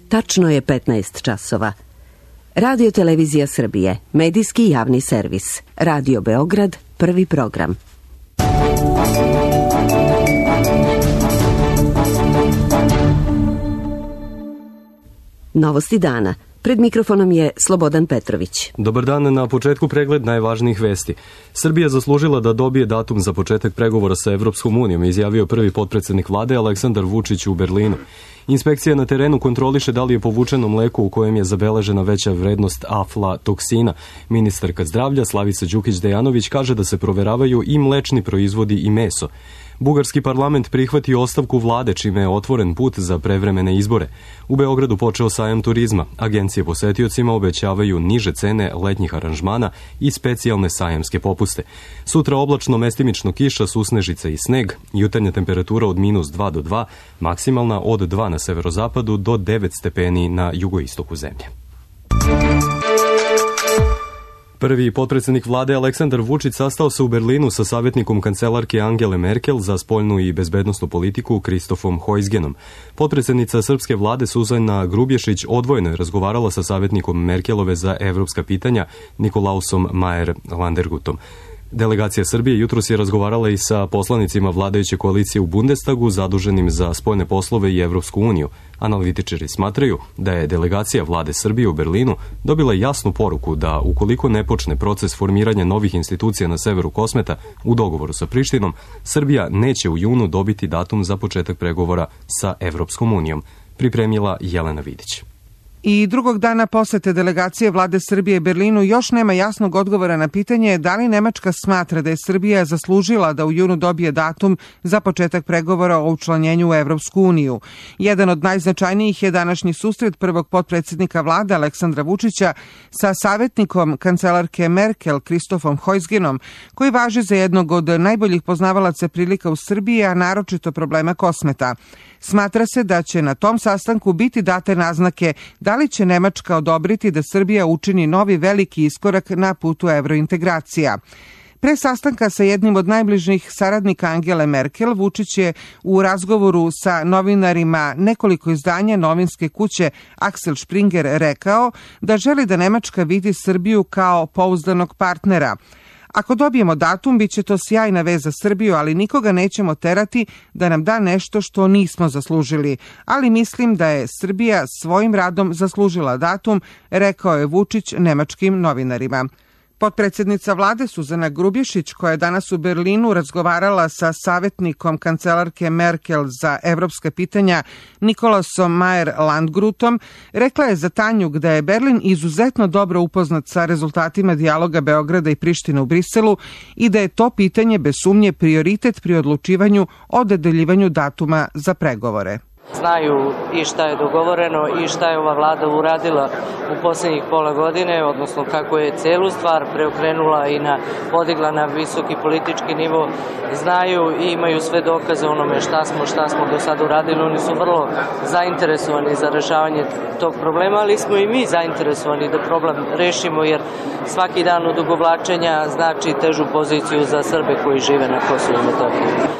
Tačno je 15 časova. Radio Televizija Srbije, medijski javni servis. Radio Beograd, prvi program. Novosti dana. Pred mikrofonom je Slobodan Petrović. Dobar dan, na početku pregled najvažnijih vesti. Srbija zaslužila da dobije datum za početak pregovora sa Evropskom unijom, izjavio prvi potpredsednik vlade Aleksandar Vučić u Berlinu. Inspekcija na terenu kontroliše da li je povučeno mleko u kojem je zabeležena veća vrednost aflatoksina. Ministarka zdravlja Slavica Đukić-Dejanović kaže da se proveravaju i mlečni proizvodi i meso. Bugarski parlament prihvatio ostavku vlade, čime je otvoren put za prevremene izbore. U Beogradu počeo sajam turizma. Agencije posetiocima obećavaju niže cene letnjih aranžmana i specijalne sajamske popuste. Sutra oblačno, mestimično kiša, susnežica i sneg, jutarnja temperatura od -2 do 2, maksimalna od 2 na severozapadu do 9 stepeni na jugoistoku zemlje. Prvi potpredsednik vlade Aleksandar Vučić sastao se u Berlinu sa savjetnikom kancelarke Angele Merkel za spoljnu i bezbednosnu politiku Kristofom Hojsgenom. Potpredsednica srpske vlade Suzana Grubješić odvojeno je razgovarala sa savjetnikom Merkelove za evropska pitanja Nikolausom Mayer-Landergutom. Delegacija Srbije jutros je razgovarala i sa poslanicima vladajuće koalicije u Bundestagu zaduženim za spoljne poslove i Evropsku uniju. Analitičari smatraju da je delegacija vlade Srbije u Berlinu dobila jasnu poruku da ukoliko ne počne proces formiranja novih institucija na severu Kosmeta u dogovoru sa Prištinom, Srbija neće u junu dobiti datum za početak pregovora sa Evropskom unijom, pripremila Jelena Vidić. I drugog dana posete delegacije vlade Srbije Berlinu još nema jasnog odgovora na pitanje da li Nemačka smatra da je Srbija zaslužila da u junu dobije datum za početak pregovora o učlanjenju u Evropsku uniju. Jedan od najznačajnijih je današnji susret prvog potpredsednika vlade Aleksandra Vučića sa savjetnikom kancelarke Merkel Kristofom Hojsgenom, koji važi za jednog od najboljih poznavalaca prilika u Srbiji, a naročito problema Kosmeta. Smatra se da će na tom sastanku biti date naznake da li će Nemačka odobriti da Srbija učini novi veliki iskorak na putu evrointegracija. Pre sastanka sa jednim od najbližnjih saradnika Angele Merkel, Vučić je u razgovoru sa novinarima nekoliko izdanja novinske kuće Axel Springer rekao da želi da Nemačka vidi Srbiju kao pouzdanog partnera. Ako dobijemo datum, bit će to sjajna vez za Srbiju, ali nikoga nećemo terati da nam da nešto što nismo zaslužili. Ali mislim da je Srbija svojim radom zaslužila datum, rekao je Vučić nemačkim novinarima. Potpredsednica vlade Suzana Grubješić, koja je danas u Berlinu razgovarala sa savjetnikom kancelarke Merkel za evropska pitanja Nikolausom Mayer-Landgrutom, rekla je za Tanjug da je Berlin izuzetno dobro upoznat sa rezultatima dijaloga Beograda i Prištine u Briselu i da je to pitanje bez sumnje prioritet pri odlučivanju o dodeljivanju datuma za pregovore. Znaju i šta je dogovoreno i šta je ova vlada uradila u posljednjih pola godine, odnosno kako je celu stvar preokrenula i podigla na visoki politički nivo. Znaju i imaju sve dokaze onome šta smo do sada uradili. Oni su vrlo zainteresovani za rešavanje tog problema, ali smo i mi zainteresovani da problem rešimo, jer svaki dan odugovlačenja znači težu poziciju za Srbe koji žive na Kosovu i Metohiji.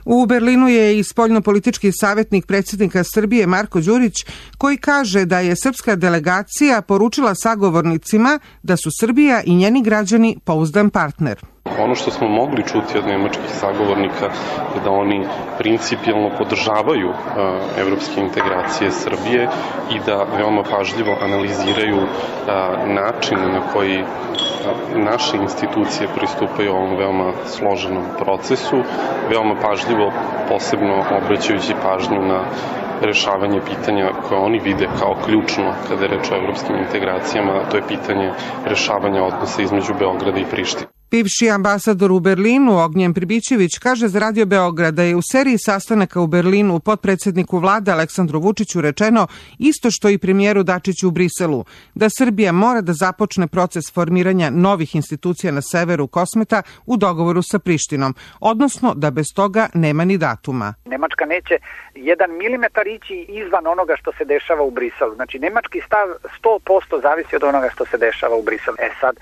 U Berlinu je i spoljnopolitički savjetnik predsjednika Srbije Marko Đurić, koji kaže da je srpska delegacija poručila sagovornicima da su Srbija i njeni građani pouzdan partner. Ono što smo mogli čuti od nemačkih sagovornika je da oni principijelno podržavaju evropske integracije Srbije i da veoma pažljivo analiziraju način na koji naše institucije pristupaju ovom veoma složenom procesu, veoma pažljivo, posebno obraćajući pažnju na rešavanje pitanja koje oni vide kao ključno kada je reč o evropskim integracijama, to je pitanje rešavanja odnosa između Beograda i Prištine. Bivši ambasador u Berlinu Ognjen Pribićević kaže za Radio Beograd da je u seriji sastanaka u Berlinu potpredsedniku vlade Aleksandru Vučiću rečeno isto što i premijeru Dačiću u Briselu, da Srbija mora da započne proces formiranja novih institucija na severu Kosmeta u dogovoru sa Prištinom, odnosno da bez toga nema ni datuma. Nemačka neće 1 milimetar ići izvan onoga što se dešava u Briselu. Znači, nemački stav 100% zavisi od onoga što se dešava u Briselu. Sad,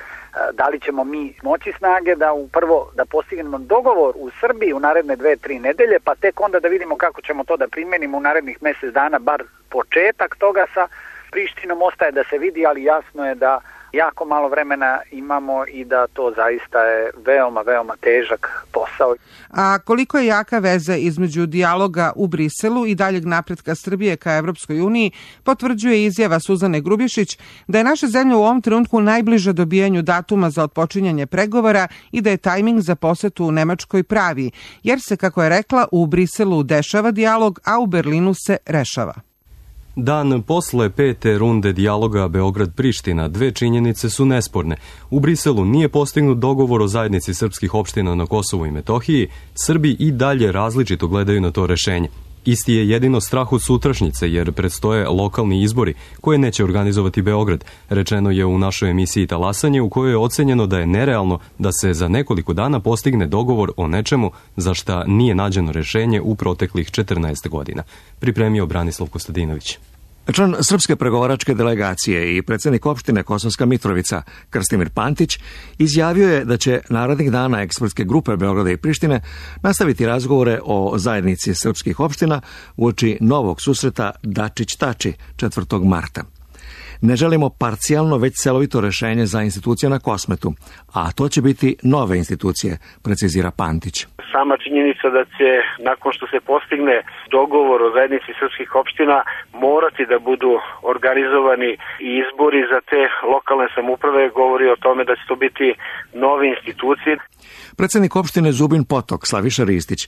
da li ćemo mi moći snage da prvo da postignemo dogovor u Srbiji u naredne 2-3 nedelje, pa tek onda da vidimo kako ćemo to da primenimo u narednih mjesec dana, bar početak toga sa Prištinom ostaje da se vidi, ali jasno je da jako malo vremena imamo i da to zaista je veoma, veoma težak posao. A koliko je jaka veza između dijaloga u Briselu i daljeg napretka Srbije ka Evropskoj uniji, potvrđuje izjava Suzane Grubješić da je naša zemlja u ovom trenutku najbliža dobijanju datuma za otpočinjanje pregovora i da je tajming za posetu u Nemačkoj pravi, jer se, kako je rekla, u Briselu dešava dijalog, a u Berlinu se rešava. Dan posle 5. runde dijaloga Beograd-Priština, dve činjenice su nesporne. U Briselu nije postignut dogovor o zajednici srpskih opština na Kosovu i Metohiji, Srbi i dalje različito gledaju na to rešenje. Isti je jedino strah od sutrašnjice, jer predstoje lokalni izbori koje neće organizovati Beograd. Rečeno je u našoj emisiji Talasanje, u kojoj je ocenjeno da je nerealno da se za nekoliko dana postigne dogovor o nečemu za šta nije nađeno rešenje u proteklih 14 godina. Pripremio Branislav Kostadinović. Član srpske pregovaračke delegacije i predsjednik opštine Kosovska Mitrovica, Krstimir Pantić, izjavio je da će narednih dana ekspertske grupe Beograda i Prištine nastaviti razgovore o zajednici srpskih opština uoči novog susreta Dačić-Tači 4. marta. Ne želimo parcijalno, već celovito rešenje za institucije na Kosmetu, a to će biti nove institucije, precizira Pantić. Sama činjenica da će, nakon što se postigne dogovor o zajednici srpskih opština, morati da budu organizovani i izbori za te lokalne samouprave, govori o tome da će to biti nove institucije. Predsjednik opštine Zubin Potok, Slaviša Ristić,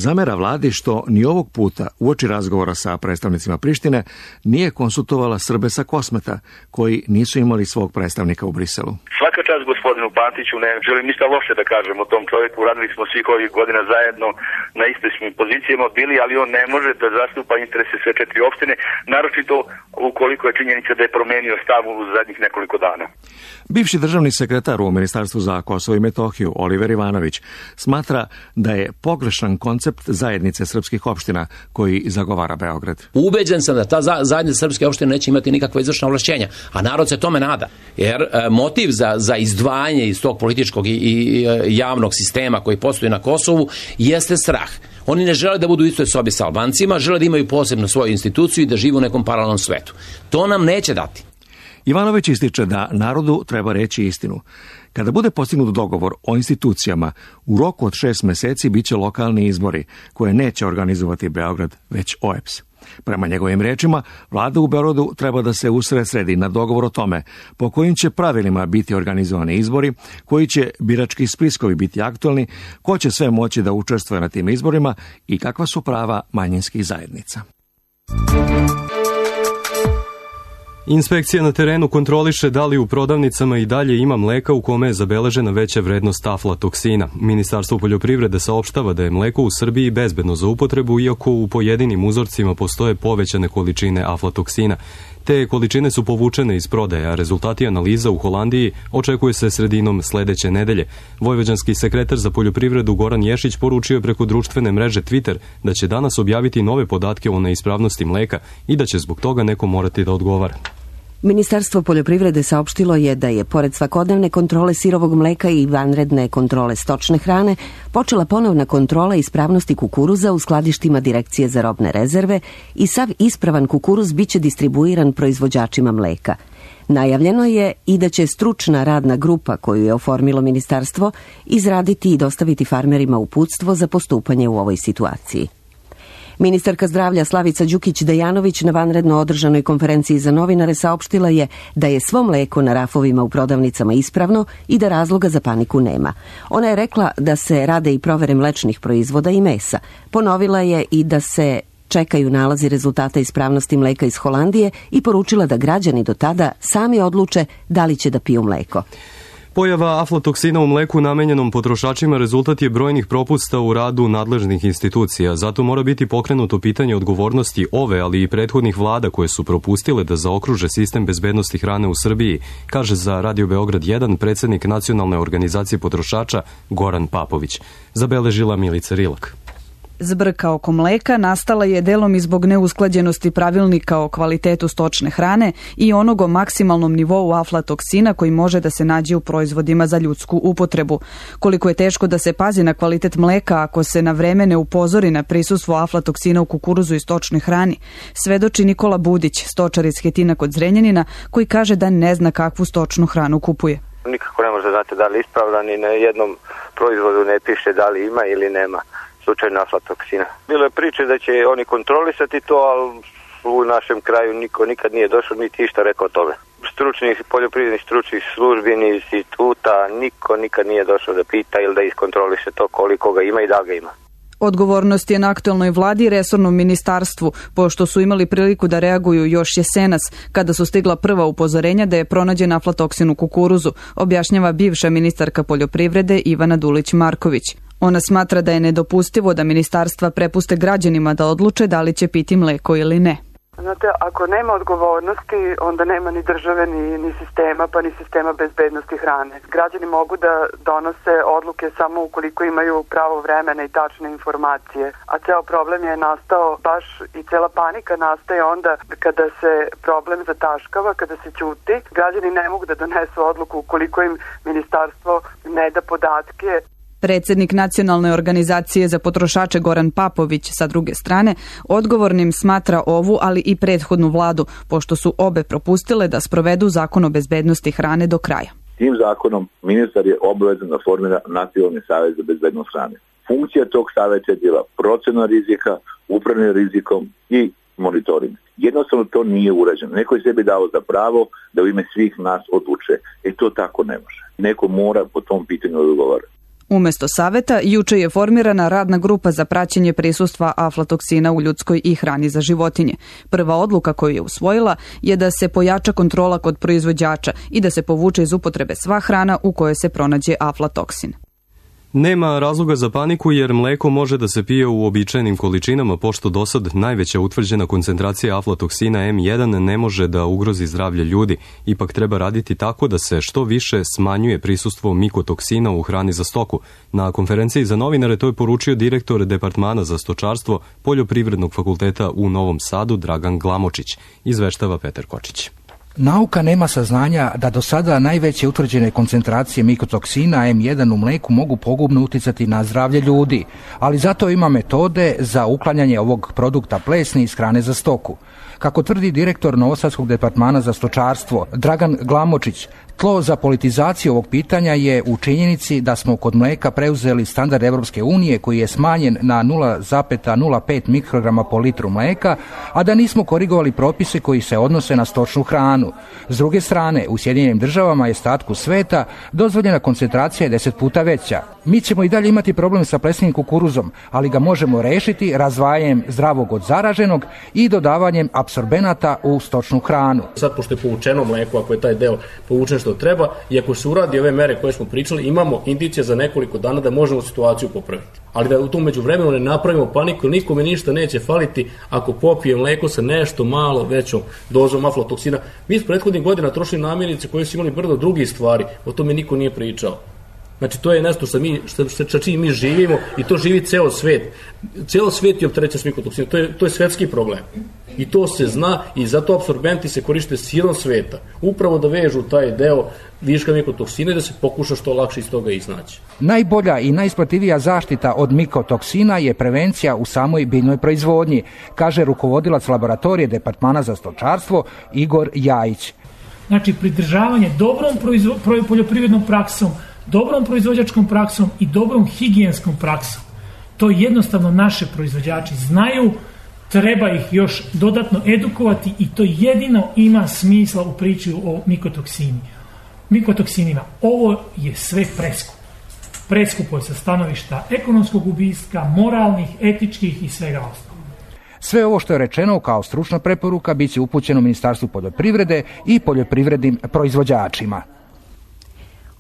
zamera vladi što ni ovog puta, uoči razgovora sa predstavnicima Prištine, nije konsultovala Srbe sa Kosmeta, koji nisu imali svog predstavnika u Briselu. Svaka čast gospodinu Pantiću, ne želim ništa loše da kažem o tom čovjeku, radili smo svih ovih godina zajedno na istim pozicijama bili, ali on ne može da zastupa interese sve 4 opštine, naročito ukoliko je činjenica da je promenio stav u zadnjih nekoliko dana. Bivši državni sekretar u Ministarstvu za Kosovo i Metohiju, Oliver Ivanović, smatra da je pogrešan koncept zajednice srpskih opština koji zagovara Beograd. Ubeđen sam da ta zajednica srpske opštine neće imati nikakva izvršna ovlašćenja, a narod se tome nada. Jer motiv za izdvajanje iz tog političkog i javnog sistema koji postoji na Kosovu jeste strah. Oni ne žele da budu u istoj sobi sa Albancima, žele da imaju posebno svoju instituciju i da žive u nekom paralelnom svetu. To nam neće dati. Ivanović ističe da narodu treba reći istinu. Kada bude postignut dogovor o institucijama, u roku od 6 meseci biće lokalni izbori, koje neće organizovati Beograd, već OEBS. Prema njegovim rečima, vlada u Beogradu treba da se usredsredi na dogovor o tome po kojim će pravilima biti organizovani izbori, koji će birački spiskovi biti aktualni, ko će sve moći da učestvuje na tim izborima i kakva su prava manjinskih zajednica. Inspekcija na terenu kontroliše da li u prodavnicama i dalje ima mleka u kome je zabeležena veća vrednost aflatoksina. Ministarstvo poljoprivrede saopštava da je mleko u Srbiji bezbedno za upotrebu, iako u pojedinim uzorcima postoje povećane količine aflatoksina. Te količine su povučene iz prodaje, a rezultati analiza u Holandiji očekuje se sredinom sledeće nedelje. Vojvođanski sekretar za poljoprivredu Goran Ješić poručio je preko društvene mreže Twitter da će danas objaviti nove podatke o neispravnosti mleka i da će zbog toga neko morati da odgovara. Ministarstvo poljoprivrede saopštilo je da je, pored svakodnevne kontrole sirovog mleka i vanredne kontrole stočne hrane, počela ponovna kontrola ispravnosti kukuruza u skladištima Direkcije za robne rezerve i sav ispravan kukuruz biće distribuiran proizvođačima mleka. Najavljeno je i da će stručna radna grupa koju je oformilo ministarstvo izraditi i dostaviti farmerima uputstvo za postupanje u ovoj situaciji. Ministarka zdravlja Slavica Đukić-Dejanović na vanredno održanoj konferenciji za novinare saopštila je da je svo mleko na rafovima u prodavnicama ispravno i da razloga za paniku nema. Ona je rekla da se rade i provere mlečnih proizvoda i mesa. Ponovila je i da se čekaju nalazi rezultata ispravnosti mleka iz Holandije i poručila da građani do tada sami odluče da li će da piju mleko. Pojava aflatoksina u mleku namenjenom potrošačima rezultat je brojnih propusta u radu nadležnih institucija. Zato mora biti pokrenuto pitanje odgovornosti ove, ali i prethodnih vlada koje su propustile da zaokruže sistem bezbednosti hrane u Srbiji, kaže za Radio Beograd 1 predsjednik Nacionalne organizacije potrošača Goran Papović. Zabeležila Milica Rilak. Zbrka oko mleka nastala je delom i zbog neusklađenosti pravilnika o kvalitetu stočne hrane i onog o maksimalnom nivou aflatoksina koji može da se nađe u proizvodima za ljudsku upotrebu. Koliko je teško da se pazi na kvalitet mleka ako se na vreme ne upozori na prisustvo aflatoksina u kukuruzu i stočnoj hrani, svedoči Nikola Budić, stočar iz Hetina kod Zrenjanina, koji kaže da ne zna kakvu stočnu hranu kupuje. Nikako ne može znati da li ispravna, ni na jednom proizvodu ne piše da li ima ili nema slučajno aflatoksina. Bilo je priče da će oni kontrolisati to, ali u našem kraju niko nikad nije došao niti išta rekao o tome. Poljoprivrednih stručnih službi ni instituta, niko nikad nije došao da pita ili da iskontroliše to koliko ga ima i da ga ima. Odgovornost je na aktuelnoj vladi i resornom ministarstvu, pošto su imali priliku da reaguju još jesenas, kada su stigla prva upozorenja da je pronađen aflatoksin u kukuruzu, objašnjava bivša ministarka poljoprivrede Ivana Dulić-Marković. Ona smatra da je nedopustivo da ministarstva prepuste građanima da odluče da li će piti mleko ili ne. Znate, ako nema odgovornosti, onda nema ni države, ni sistema, pa ni sistema bezbednosti hrane. Građani mogu da donose odluke samo ukoliko imaju pravo vremena i tačne informacije. A ceo problem je nastao baš i cela panika nastaje onda kada se problem zataškava, kada se ćuti. Građani ne mogu da donesu odluku ukoliko im ministarstvo ne da podatke. Predsednik Nacionalne organizacije za potrošače Goran Papović, sa druge strane, odgovornim smatra ovu, ali i prethodnu vladu, pošto su obe propustile da sprovedu zakon o bezbednosti hrane do kraja. Tim zakonom ministar je obavezan da formira Nacionalni savez za bezbednost hrane. Funkcija tog saveta je bila procena rizika, upravljanje rizikom i monitoring. Jednostavno to nije urađeno. Neko je sebi dao za pravo da u ime svih nas odluče. To tako ne može. Neko mora po tom pitanju odgovarati. Umesto saveta, juče je formirana radna grupa za praćenje prisustva aflatoksina u ljudskoj i hrani za životinje. Prva odluka koju je usvojila je da se pojača kontrola kod proizvođača i da se povuče iz upotrebe sva hrana u kojoj se pronađe aflatoksin. Nema razloga za paniku jer mleko može da se pije u uobičajenim količinama, pošto dosad najveća utvrđena koncentracija aflatoksina M1 ne može da ugrozi zdravlje ljudi. Ipak treba raditi tako da se što više smanjuje prisustvo mikotoksina u hrani za stoku. Na konferenciji za novinare to je poručio direktor Departmana za stočarstvo Poljoprivrednog fakulteta u Novom Sadu Dragan Glamočić, izveštava Petar Kočić. Nauka nema saznanja da do sada najveće utvrđene koncentracije mikotoksina M1 u mleku mogu pogubno uticati na zdravlje ljudi, ali zato ima metode za uklanjanje ovog produkta plesni iz hrane za stoku. Kako tvrdi direktor Novosadskog departmana za stočarstvo Dragan Glamočić, tlo za politizaciju ovog pitanja je u činjenici da smo kod mleka preuzeli standard Evropske unije koji je smanjen na 0,05 mikrograma po litru mleka, a da nismo korigovali propise koji se odnose na stočnu hranu. S druge strane, u Sjedinjenim državama i ostatku sveta dozvoljena koncentracija je 10 puta veća. Mi ćemo i dalje imati problem sa plesnim kukuruzom, ali ga možemo rešiti razdvajanjem zdravog od zaraženog i dodavanjem apsorbenata u stočnu hranu. Sad, pošto je povučeno mleko, ako je taj deo povučen što treba i ako se uradi ove mere koje smo pričali, imamo indicije za nekoliko dana da možemo situaciju popraviti. Ali da u tom međuvremenu ne napravimo paniku, nikome ništa neće faliti ako popije mleko sa nešto malo većom dozom aflatoksina. Mi s prethodnih godina trošili namirnice koje su imali brdo drugih stvari, o tome niko nije pričao. Znači, to je nešto sa čim mi živimo i to živi ceo svet. Ceo svet je opterećen s mikotoksinom, to je svetski problem. I to se zna i zato apsorbenti se koriste širom sveta. Upravo da vežu taj deo viška mikotoksina i da se pokuša što lakše iz toga iznaći. Najbolja i najisplativija zaštita od mikotoksina je prevencija u samoj biljnoj proizvodnji, kaže rukovodilac laboratorije Departmana za stočarstvo Igor Jajić. Znači, pridržavanje dobrom poljoprivrednom praksom, dobrom proizvođačkom praksom i dobrom higijenskom praksom. To jednostavno naše proizvođači znaju, treba ih još dodatno edukovati i to jedino ima smisla u priči o mikotoksinima. Ovo je sve preskupo. Preskupo je sa stanovišta ekonomskog ubistva, moralnih, etičkih i svega ostalog. Sve ovo što je rečeno kao stručna preporuka biće upućeno Ministarstvu poljoprivrede i poljoprivrednim proizvođačima.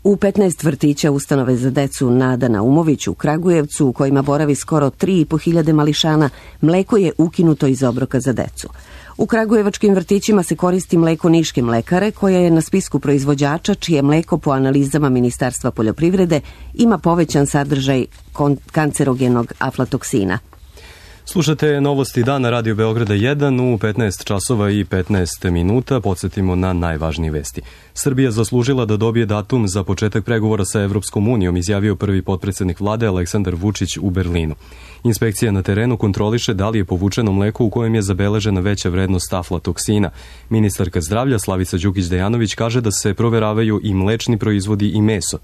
U 15 vrtića ustanove za decu Nada Naumović u Kragujevcu, u kojima boravi skoro 3.500 mališana, mleko je ukinuto iz obroka za decu. U kragujevačkim vrtićima se koristi mleko Niške mlekare, koja je na spisku proizvođača čije mleko po analizama Ministarstva poljoprivrede ima povećan sadržaj kancerogenog aflatoksina. Slušate novosti dana Radio Beograda 1 u 15 časova i 15 minuta. Podsjetimo na najvažnije vesti. Srbija zaslužila da dobije datum za početak pregovora sa Evropskom unijom, izjavio prvi potpredsednik vlade Aleksandar Vučić u Berlinu. Inspekcija na terenu kontroliše da li je povučeno mleko u kojem je zabeležena veća vrednost aflatoksina. Ministarka zdravlja Slavica Đukić-Dejanović kaže da se proveravaju i mlečni proizvodi i meso.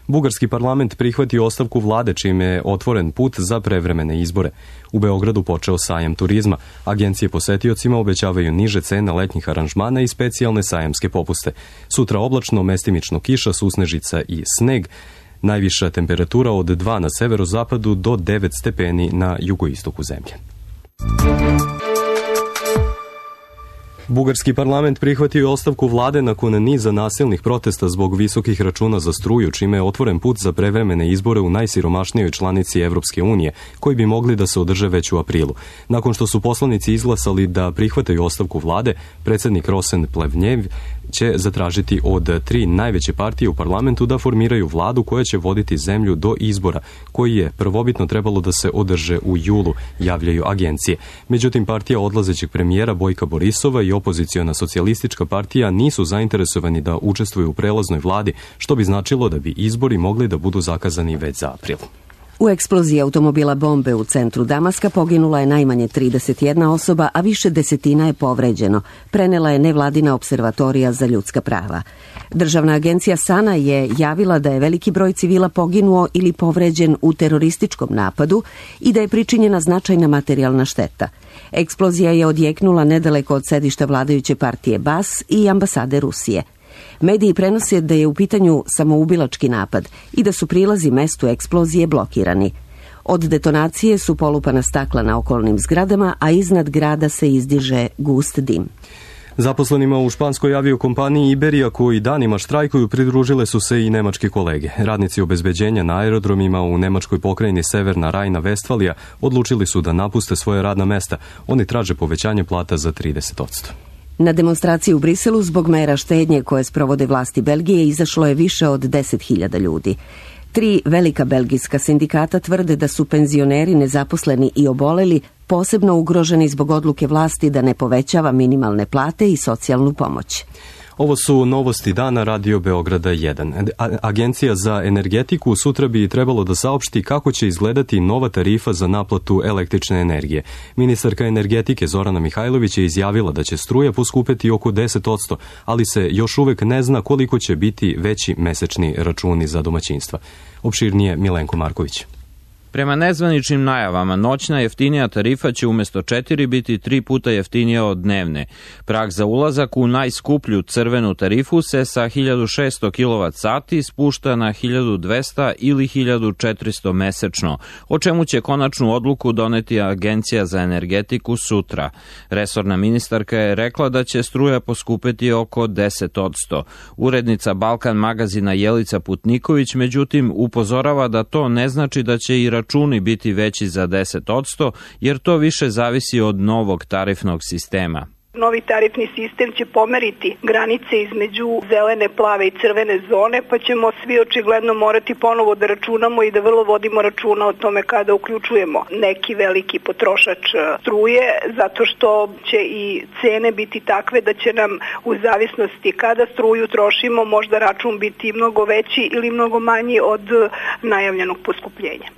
Bugarski parlament prihvatio ostavku vlade, čime je otvoren put za prevremene izbore. U Beogradu počeo sajam turizma. Agencije posetiocima obećavaju niže cene letnjih aranžmana i specijalne sajamske popuste. Sutra oblačno, mestimično kiša, susnežica i sneg. Najviša temperatura od 2 na severozapadu do 9 stepeni na jugoistoku zemlje. Bugarski parlament prihvatio ostavku vlade nakon niza nasilnih protesta zbog visokih računa za struju, čime je otvoren put za prevremene izbore u najsiromašnijoj članici Evropske unije, koji bi mogli da se održe već u aprilu. Nakon što su poslanici izglasali da prihvataju ostavku vlade, predsjednik Rosen Plevnjev će zatražiti od 3 najveće partije u parlamentu da formiraju vladu koja će voditi zemlju do izbora, koji je prvobitno trebalo da se održe u julu, javljaju agencije. Međutim, partija odlazećeg premijera Bojka Borisova i opoziciona socijalistička partija nisu zainteresovani da učestvuju u prelaznoj vladi, što bi značilo da bi izbori mogli da budu zakazani već za april. U eksploziji automobila bombe u centru Damaska poginula je najmanje 31 osoba, a više desetina je povređeno, prenela je nevladina observatorija za ljudska prava. Državna agencija SANA je javila da je veliki broj civila poginuo ili povređen u terorističkom napadu i da je pričinjena značajna materijalna šteta. Eksplozija je odjeknula nedaleko od sedišta vladajuće partije BAS i ambasade Rusije. Mediji prenose da je u pitanju samoubilački napad i da su prilazi mestu eksplozije blokirani. Od detonacije su polupana stakla na okolnim zgradama, a iznad grada se izdiže gust dim. Zaposlenima u španskoj aviokompaniji Iberia, koji danima štrajkuju, pridružile su se i nemačke kolege. Radnici obezbeđenja na aerodromima u nemačkoj pokrajini Severna Rajna-Vestfalija odlučili su da napuste svoje radna mesta. Oni traže povećanje plata za 30%. Na demonstraciji u Briselu zbog mera štednje koje sprovode vlasti Belgije izašlo je više od 10.000 ljudi. 3 velika belgijska sindikata tvrde da su penzioneri, nezaposleni i oboleli posebno ugroženi zbog odluke vlasti da ne povećava minimalne plate i socijalnu pomoć. Ovo su novosti dana Radio Beograda 1. Agencija za energetiku sutra bi trebalo da saopšti kako će izgledati nova tarifa za naplatu električne energije. Ministarka energetike Zorana Mihajlović je izjavila da će struja poskupeti oko 10%, ali se još uvek ne zna koliko će biti veći mesečni računi za domaćinstva. Opširnije Milenko Marković. Prema nezvaničnim najavama, noćna jeftinija tarifa će umjesto 4 biti 3 puta jeftinija od dnevne. Prag za ulazak u najskuplju crvenu tarifu se sa 1600 kWh spušta na 1200 ili 1400 mesečno, o čemu će konačnu odluku doneti Agencija za energetiku sutra. Resorna ministarka je rekla da će struja poskupeti oko 10%. Urednica Balkan magazina Jelica Putniković, međutim, upozorava da to ne znači da će i računi biti veći za 10%, jer to više zavisi od novog tarifnog sistema. Novi tarifni sistem će pomeriti granice između zelene, plave i crvene zone, pa ćemo svi očigledno morati ponovo da računamo i da vrlo vodimo računa o tome kada uključujemo neki veliki potrošač struje, zato što će i cene biti takve da će nam u zavisnosti kada struju trošimo možda račun biti mnogo veći ili mnogo manji od najavljenog poskupljenja.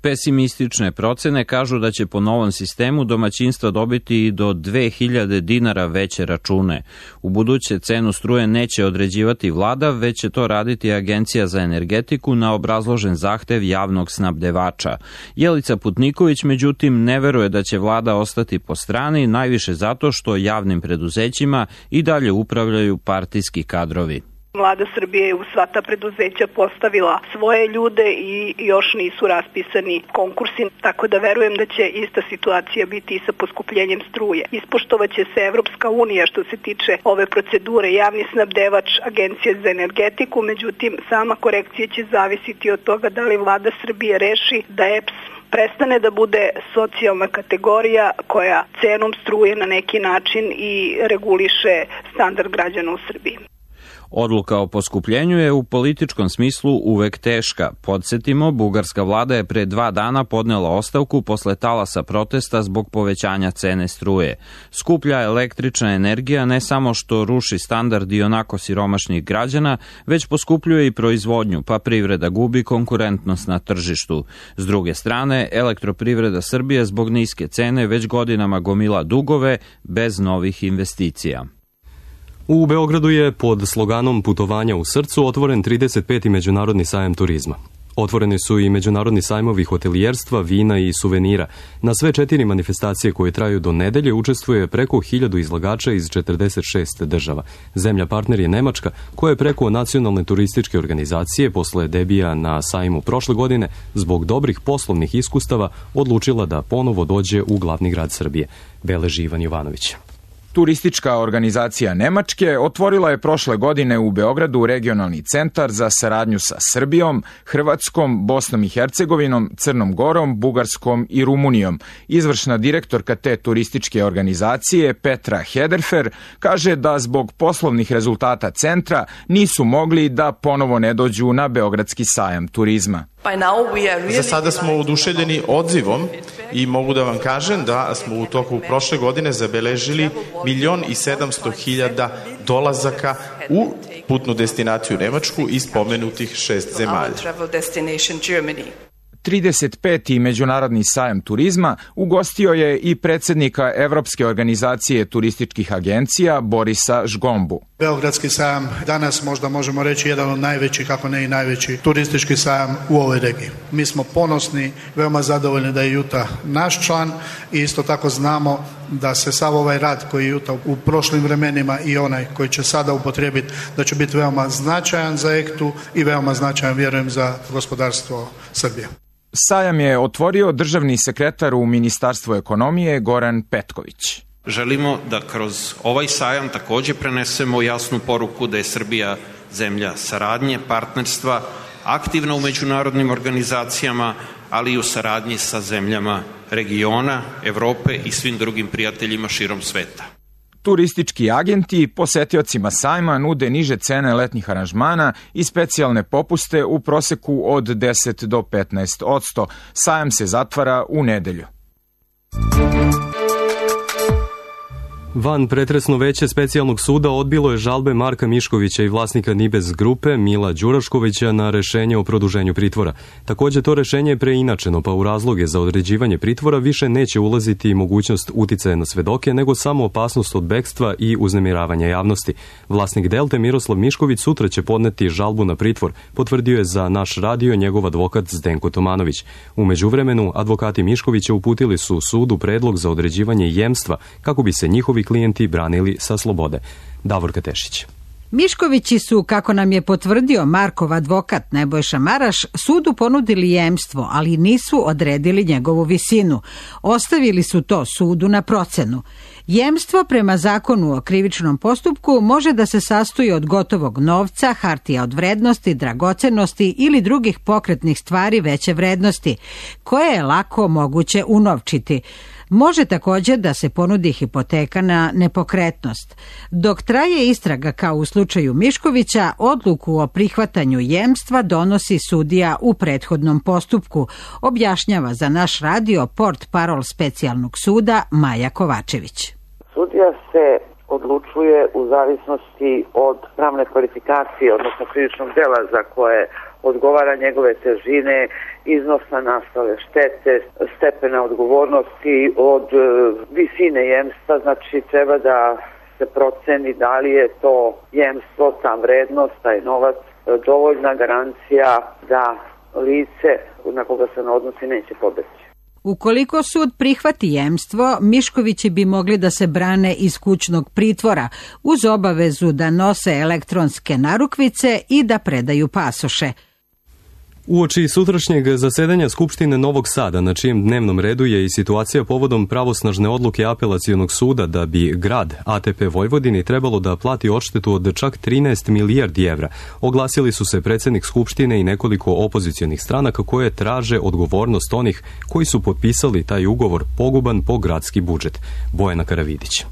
Pesimistične procene kažu da će po novom sistemu domaćinstva dobiti i do 2000 dinara veće račune. U buduće cenu struje neće određivati vlada, već će to raditi Agencija za energetiku na obrazložen zahtev javnog snabdevača. Jelica Putniković, međutim, ne veruje da će vlada ostati po strani, najviše zato što javnim preduzećima i dalje upravljaju partijski kadrovi. Vlada Srbije je u sva ta preduzeća postavila svoje ljude i još nisu raspisani konkursi, tako da verujem da će ista situacija biti i sa poskupljenjem struje. Ispoštovaće se Evropska unija što se tiče ove procedure, javni snabdevač Agencije za energetiku, međutim sama korekcija će zavisiti od toga da li Vlada Srbije reši da EPS prestane da bude socijalna kategorija koja cenom struje na neki način i reguliše standard građana u Srbiji. Odluka o poskupljenju je u političkom smislu uvek teška. Podsjetimo, bugarska vlada je pre 2 dana podnela ostavku posle talasa protesta zbog povećanja cene struje. Skuplja električna energija ne samo što ruši standard i onako siromašnih građana, već poskupljuje i proizvodnju, pa privreda gubi konkurentnost na tržištu. S druge strane, Elektroprivreda Srbije zbog niske cene već godinama gomila dugove bez novih investicija. U Beogradu je pod sloganom Putovanja u srcu otvoren 35. Međunarodni sajam turizma. Otvoreni su i međunarodni sajmovi hotelijerstva, vina i suvenira. Na sve 4 manifestacije koje traju do nedelje učestvuje preko 1000 izlagača iz 46 država. Zemlja partner je Nemačka, koja je preko nacionalne turističke organizacije posle debija na sajmu prošle godine zbog dobrih poslovnih iskustava odlučila da ponovo dođe u glavni grad Srbije, beleži Ivan Jovanović. Turistička organizacija Nemačke otvorila je prošle godine u Beogradu regionalni centar za saradnju sa Srbijom, Hrvatskom, Bosnom i Hercegovinom, Crnom Gorom, Bugarskom i Rumunijom. Izvršna direktorka te turističke organizacije, Petra Hederfer, kaže da zbog poslovnih rezultata centra nisu mogli da ponovo ne dođu na Beogradski sajam turizma. Za sada smo oduševljeni odzivom i mogu da vam kažem da smo u toku prošle godine zabeležili 1.700.000 dolazaka u putnu destinaciju Nemačku iz pomenutih 6 zemalja. 35. Međunarodni sajam turizma ugostio je i predsjednika Evropske organizacije turističkih agencija Borisa Žgombu. Beogradski sajam danas možda možemo reći jedan od najvećih, ako ne i najveći turistički sajam u ovoj regiji. Mi smo ponosni, veoma zadovoljni da je Juta naš član i isto tako znamo da se sav ovaj rad koji je Juta u prošlim vremenima i onaj koji će sada upotrijebiti, da će biti veoma značajan za EKTU i veoma značajan, vjerujem, za gospodarstvo Srbije. Sajam je otvorio državni sekretar u Ministarstvu ekonomije Goran Petković. Želimo da kroz ovaj sajam također prenesemo jasnu poruku da je Srbija zemlja saradnje, partnerstva, aktivna u međunarodnim organizacijama, ali i u saradnji sa zemljama regiona, Evrope i svim drugim prijateljima širom sveta. Turistički agenti posetiocima sajma nude niže cene letnjih aranžmana i specijalne popuste u proseku od 10 do 15%. Sajam se zatvara u nedelju. Van pretresno veće specijalnog suda odbilo je žalbe Marka Miškovića i vlasnika Nibez grupe Mila Đuraškovića na rešenje o produženju pritvora. Također to rešenje je preinačeno, pa u razloge za određivanje pritvora više neće ulaziti mogućnost uticaja na svedoke, nego samo opasnost od bekstva i uznemiravanja javnosti. Vlasnik Delte Miroslav Mišković sutra će podneti žalbu na pritvor, potvrdio je za naš radio njegov advokat Zdenko Tomanović. U međuvremenu, advokati Miškovića uputili su sudu predlog za određivanje jemstva kako bi se njihovi klijenti branili sa slobode. Davorka Tešić. Miškovići su, kako nam je potvrdio Markov advokat Nebojša Maraš, sudu ponudili jemstvo, ali nisu odredili njegovu visinu. Ostavili su to sudu na procenu. Jemstvo prema zakonu o krivičnom postupku može da se sastoji od gotovog novca, hartija od vrednosti, dragocenosti ili drugih pokretnih stvari veće vrednosti, koje je lako moguće unovčiti. Može također da se ponudi hipoteka na nepokretnost. Dok traje istraga kao u slučaju Miškovića, odluku o prihvatanju jemstva donosi sudija u prethodnom postupku, objašnjava za naš radio portparol specijalnog suda Maja Kovačević. Sudija se odlučuje u zavisnosti od pravne kvalifikacije, odnosno krivičnog dela za koje odgovara njegove težine, iznosa nastale štete, stepena odgovornosti od visine jemstva. Znači treba da se proceni da li je to jemstvo, ta vrednost, taj novac, dovoljna garancija da lice na koga se ne odnosi neće pobeći. Ukoliko sud prihvati jemstvo, Miškovići bi mogli da se brane iz kućnog pritvora uz obavezu da nose elektronske narukvice i da predaju pasoše. Uoči sutrašnjeg zasedanja Skupštine Novog Sada, na čijem dnevnom redu je i situacija povodom pravosnažne odluke apelacionog suda da bi grad ATP Vojvodini trebalo da plati odštetu od čak 13 milijardi evra, oglasili su se predsjednik Skupštine i nekoliko opozicionih stranaka koje traže odgovornost onih koji su potpisali taj ugovor poguban po gradski budžet. Bojana Karavidić.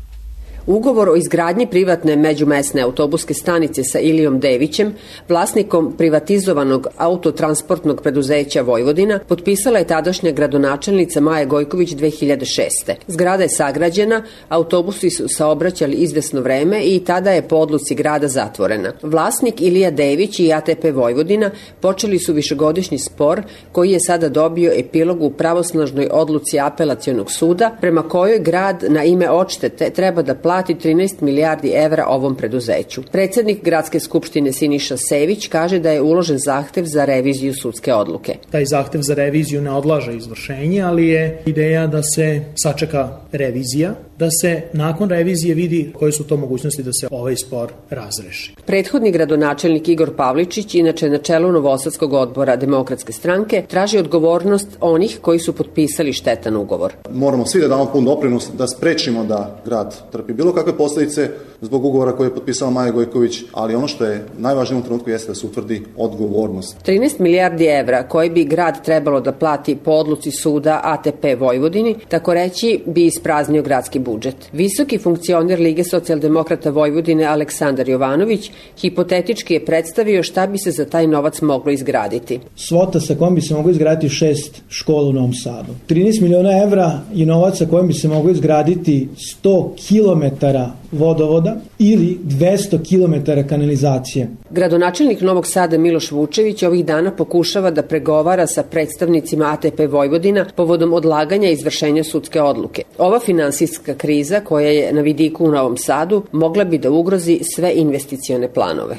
Ugovor o izgradnji privatne međumesne autobuske stanice sa Ilijom Devićem, vlasnikom privatizovanog autotransportnog preduzeća Vojvodina, potpisala je tadašnja gradonačelnica Maja Gojković 2006. Zgrada je sagrađena, autobusi su saobraćali izvesno vreme i tada je po odluci grada zatvorena. Vlasnik Ilija Dević i ATP Vojvodina počeli su višegodišnji spor koji je sada dobio epilog u pravosnažnoj odluci Apelacionog suda, prema kojoj grad na ime odštete treba da plati 13 milijardi evra ovom preduzeću. Predsednik Gradske skupštine Siniša Sević kaže da je uložen zahtev za reviziju sudske odluke. Taj zahtev za reviziju ne odlaže izvršenje, ali je ideja da se sačeka revizija, da se nakon revizije vidi koje su to mogućnosti da se ovaj spor razreši. Prethodni gradonačelnik Igor Pavličić, inače na čelu Novosadskog odbora Demokratske stranke, traži odgovornost onih koji su potpisali štetan ugovor. Moramo svi da damo pun doprinos da sprečimo da grad trpi bilo kakve posljedice zbog ugovora koji je potpisala Maja Gojković, ali ono što je najvažnije u trenutku jeste da se utvrdi odgovornost. 13 milijardi evra koji bi grad trebalo da plati po odluci suda ATP Vojvodini, tako reći bi ispraznio gradski budžet. Visoki funkcioner Lige socijaldemokrata Vojvodine Aleksandar Jovanović hipotetički je predstavio šta bi se za taj novac moglo izgraditi. Svota sa kojom bi se moglo izgraditi 6 škola u Novom Sadu. 13 miliona evra je novac sa kojim bi se moglo izgraditi 100 kilometara vodovoda ili 200 kilometara kanalizacije. Gradonačelnik Novog Sada Miloš Vučević ovih dana pokušava da pregovara sa predstavnicima ATP Vojvodina povodom odlaganja izvršenja sudske odluke. Ova finansijska kriza koja je na vidiku u Novom Sadu mogla bi da ugrozi sve investicione planove.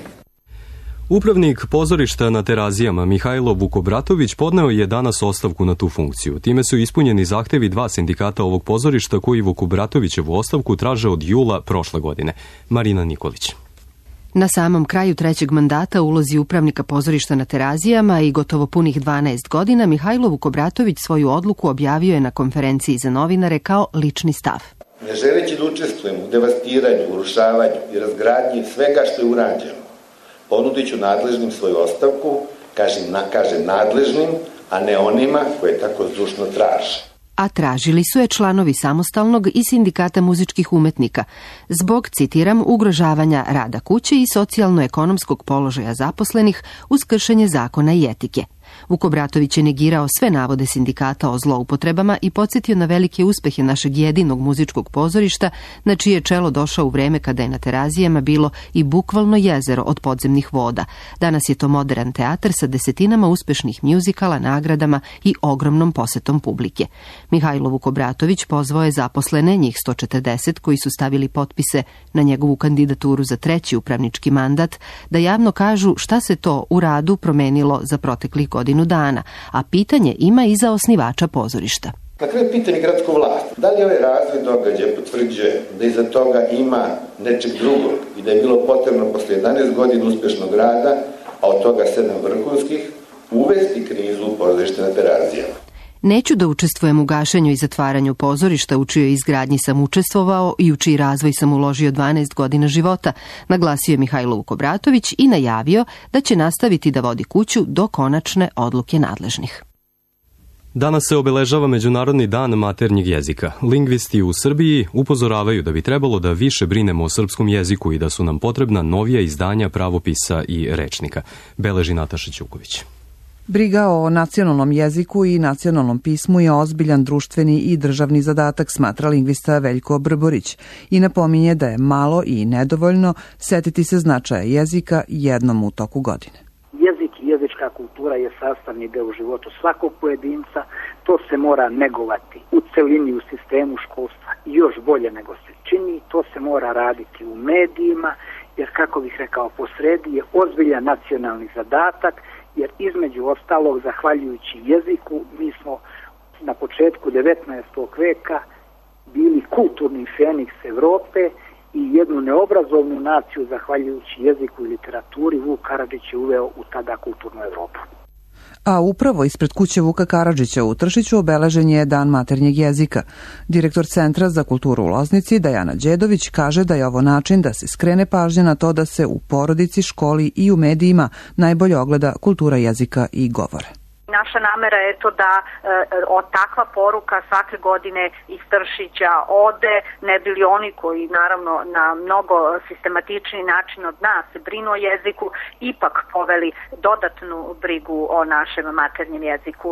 Upravnik pozorišta na Terazijama Mihajlo Vukobratović podneo je danas ostavku na tu funkciju. Time su ispunjeni zahtevi 2 sindikata ovog pozorišta koji Vukobratovićevu ostavku traže od jula prošle godine. Marina Nikolić. Na samom kraju 3. mandata ulozi upravnika pozorišta na Terazijama i gotovo punih 12 godina Mihajlo Vukobratović svoju odluku objavio je na konferenciji za novinare kao lični stav. Ne želeći da učestvujem u devastiranju, urušavanju i razgradnji svega što je urađeno, ponudit ću nadležnim svoju ostavku, kažem nadležnim, a ne onima koje tako zdušno traže. A tražili su je članovi Samostalnog i Sindikata muzičkih umetnika zbog, citiram, ugrožavanja rada kuće i socijalno-ekonomskog položaja zaposlenih uz kršenje zakona i etike. Vukobratović je negirao sve navode sindikata o zloupotrebama i podsjetio na velike uspehe našeg jedinog muzičkog pozorišta, na čije čelo došao u vreme kada je na Terazijama bilo i bukvalno jezero od podzemnih voda. Danas je to modern teatar sa desetinama uspešnih mjuzikala, nagradama i ogromnom posetom publike. Mihajlo Vukobratović pozvao je zaposlene, njih 140, koji su stavili potpise na njegovu kandidaturu za 3. upravnički mandat, da javno kažu šta se to u radu promenilo za proteklih godinu dana, a pitanje ima i za osnivača pozorišta. Na kraju pitanje gradsku vlast, da li ovaj razvoj događaja potvrđuje da iza toga ima nečeg drugog i da je bilo potrebno posle 11 godina uspešnog rada, a od toga 7 vrhunskih, uvesti krizu u pozorište na Terazijama. Neću da učestvujem u gašenju i zatvaranju pozorišta u čijoj izgradnji sam učestvovao i u čiji razvoj sam uložio 12 godina života, naglasio je Mihajlo Vukobratović i najavio da će nastaviti da vodi kuću do konačne odluke nadležnih. Danas se obeležava Međunarodni dan maternjeg jezika. Lingvisti u Srbiji upozoravaju da bi trebalo da više brinemo o srpskom jeziku i da su nam potrebna novija izdanja pravopisa i rečnika, beleži Nataša Ćuković. Briga o nacionalnom jeziku i nacionalnom pismu je ozbiljan društveni i državni zadatak, smatra lingvista Veljko Brborić i napominje da je malo i nedovoljno setiti se značaja jezika jednom u toku godine. Jezik i jezička kultura je sastavni deo u životu svakog pojedinca, to se mora negovati u celini u sistemu školstva još bolje nego se čini, to se mora raditi u medijima, jer kako bih rekao posredi je ozbiljan nacionalni zadatak, jer između ostalog, zahvaljujući jeziku, mi smo na početku 19. veka bili kulturni feniks Evrope i jednu neobrazovnu naciju, zahvaljujući jeziku i literaturi, Vuk Karadžić je uveo u tada kulturnu Evropu. A upravo ispred kuće Vuka Karadžića u Tršiću obeležen je Dan maternjeg jezika. Direktor Centra za kulturu u Loznici, Dajana Đedović, kaže da je ovo način da se skrene pažnja na to da se u porodici, školi i u medijima najbolje ogleda kultura jezika i govore. Naša namera je to da od takva poruka svake godine iz Tršića ode, ne bili oni koji naravno na mnogo sistematični način od nas brinu o jeziku, ipak poveli dodatnu brigu o našem maternjem jeziku.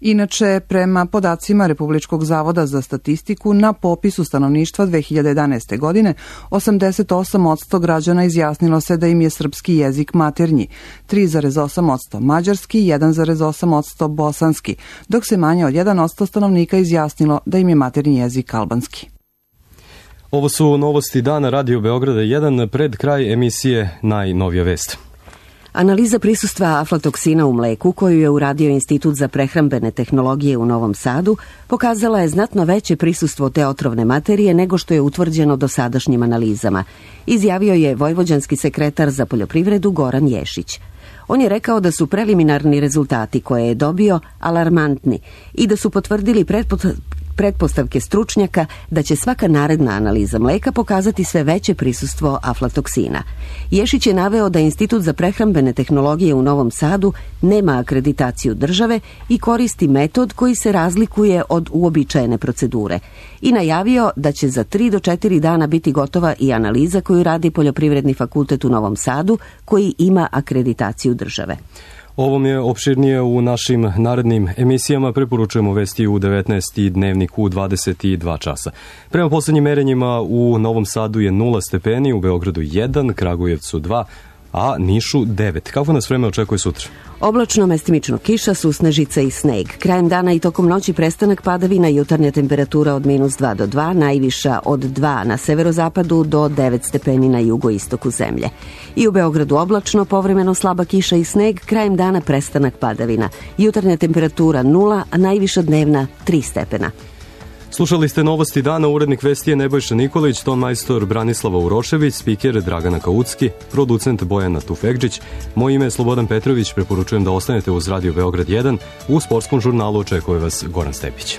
Inače, prema podacima Republičkog zavoda za statistiku, na popisu stanovništva 2011. godine 88% građana izjasnilo se da im je srpski jezik maternji, 3,8% mađarski, 1,8% bosanski, dok se manje od 1% stanovnika izjasnilo da im je maternji jezik albanski. Ovo su novosti dana Radio Beograda 1, pred kraj emisije najnovija vest. Analiza prisustva aflatoksina u mleku koju je uradio Institut za prehrambene tehnologije u Novom Sadu pokazala je znatno veće prisustvo te otrovne materije nego što je utvrđeno dosadašnjim analizama, izjavio je vojvođanski sekretar za poljoprivredu Goran Ješić. On je rekao da su preliminarni rezultati koje je dobio alarmantni i da su potvrdili pretpostavke stručnjaka da će svaka naredna analiza mleka pokazati sve veće prisustvo aflatoksina. Ješić je naveo da Institut za prehrambene tehnologije u Novom Sadu nema akreditaciju države i koristi metod koji se razlikuje od uobičajene procedure i najavio da će za 3 do 4 dana biti gotova i analiza koju radi Poljoprivredni fakultet u Novom Sadu koji ima akreditaciju države. Ovom je opširnije u našim narednim emisijama. Preporučujemo vesti u 19 i Dnevnik u 22 časa. Prema poslednjim merenjima u Novom Sadu je 0 stepeni, u Beogradu 1, Kragujevcu 2, a Nišu 9. Kako nas vreme očekuje sutra? Oblačno, mestimično kiša, susnežica i sneg. Krajem dana i tokom noći prestanak padavina, jutarnja temperatura od -2 do 2, najviša od 2 na severozapadu do 9 stepeni na jugoistoku zemlje. I u Beogradu oblačno, povremeno slaba kiša i sneg, krajem dana prestanak padavina. Jutarnja temperatura 0, a najviša dnevna 3 stepena. Slušali ste novosti dana, urednik vesti je Nebojša Nikolić, ton majstor Branislava Urošević, spiker Dragana Kaucki, producent Bojana Tufekđić. Moje ime je Slobodan Petrović, preporučujem da ostanete uz Radio Beograd 1, u sportskom žurnalu očekuje vas Goran Stepić.